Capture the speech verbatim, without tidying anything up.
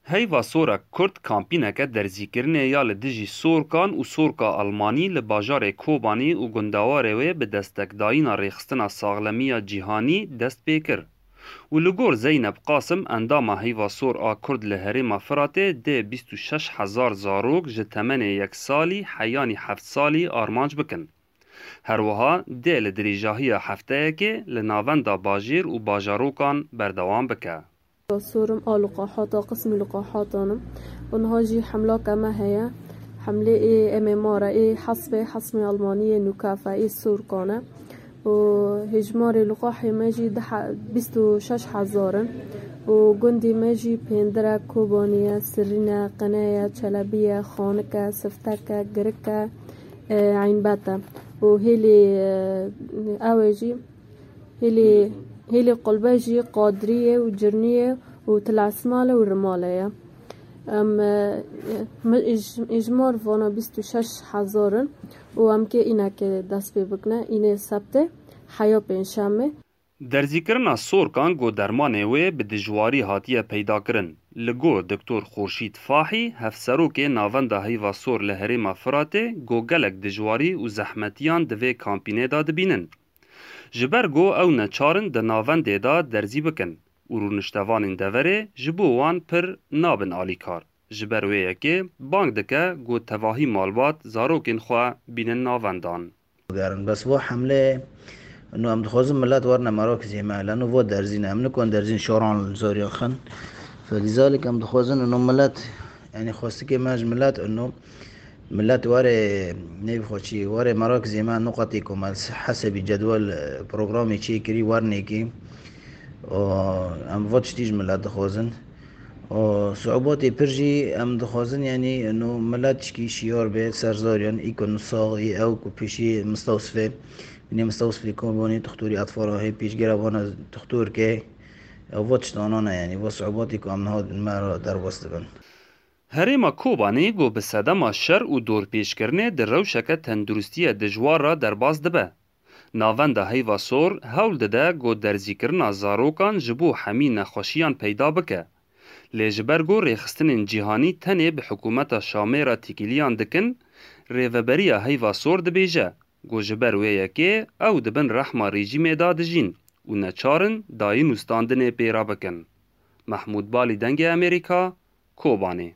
Heyva Sora Kurd kampîneke derzîkirinê ya li dijî Sorkan û Sorka Almanî li bajarê Kobanî û gundewarê wê bi destekdayîna Rêxistina Saxlemiya Cîhanî dest pê kir. Û li gor Zeynep Qasim, endama Heyva Sor a Kurd li herêma Firatê, dê bîst û şeş hezar zarok ji temenê yek salî heyanî heft salî armanc bikin. Her wiha dê li dirêjahiya hefteyekê li navenda bajêr û bajarokan berdewam bike. Sorum a liqaxata, qismî liqaxatan in. Û niha jî hemlaka me heye. Hemlê ê M M R e, ê hesbê, hesmê Almaniyê nûkafe, ê Sorkan e. Û hêjmarê liqaxê me jî deh, bîst û şeş hezar in. Û gundê me jî pêndir e, Kobanî ye, Sirîn e, Qine ye, Çelebî ye, Xanik e, Siftek e, Girik e, e, Eynbet e. Û hêlê, e, ew ê jî, hêlê, hêlê Qulbe jî Qadriyê û Cirniyê û Tilesmale û Rimale ye. Em, e, mi-, ij-, ijmar vana bîst û şeş hezar in û em kê înekê dest pê bikine, înê sebtê, heya pêncşemê. Derzîkirina Sorkan ku dermanê wê bi dijwarî hatiye peydakirin. Li gor Doktor Xurşîd Fahî, hevserokê Navenda Heyva Sor li herêma Firatê, ku gelek dijwarî û zehmetiyan di vê kampînê de dibînin. Ji ber ku ew neçar in di navendê de derzî bikin û rûniştevanên deverê ji bo wan pir nabin alîkar. Ji ber wê yekê bang dike ku tevahî malbat zarokên xwe bînin navendan. Gerin. Bes va hemlê, no, em dixwazin millet werine merakizê me, leno va derzîne, em nikon derzîn şoran li zoriya xin. Felîzalik em dixwazin, no, millet, yani xwestikê me ji millet, no, millet were, neyb xwe çi, were merakizê me, nuqatê ku me hesebî cedwel, e, programê çêkirî, wernêkî. Û em va tiştî ji millet dixwazin. Û siûbatê pir jî em dixwazin, yanî no milet çikî şiyar be ser zariyan, î ku nusa, î ew ku pêşî Mistewsifê, binê Mistewsifê Kobanî, dixtorî etfara hê, pêşgera vana dixtorkê, ew va tiştanan e, yanî va siûbatê ku em niha me re derbas dibin. Herêma Kobanê ku bi sedema şer û dorpêçkirinê di rewşeke tenduristiyê dijwar re derbas dibe. Navenda Heyva Sor hewl dide ku derzîkirina zarokan ji bo hemî nexweşiyan peyda bike. Lê ji ber ku rêxistinên cîhanî tenê bi hikûmeta Şamê re têkiliyan dikin, Rêveberiya Heyva Sor dibêje ku ji ber wê yekê ew di bin rehma rejîmê de dijîn û neçar in dayîn û standinê pê re bikin. Mehmûd Balî, Dengê Amerîka, Kobanê.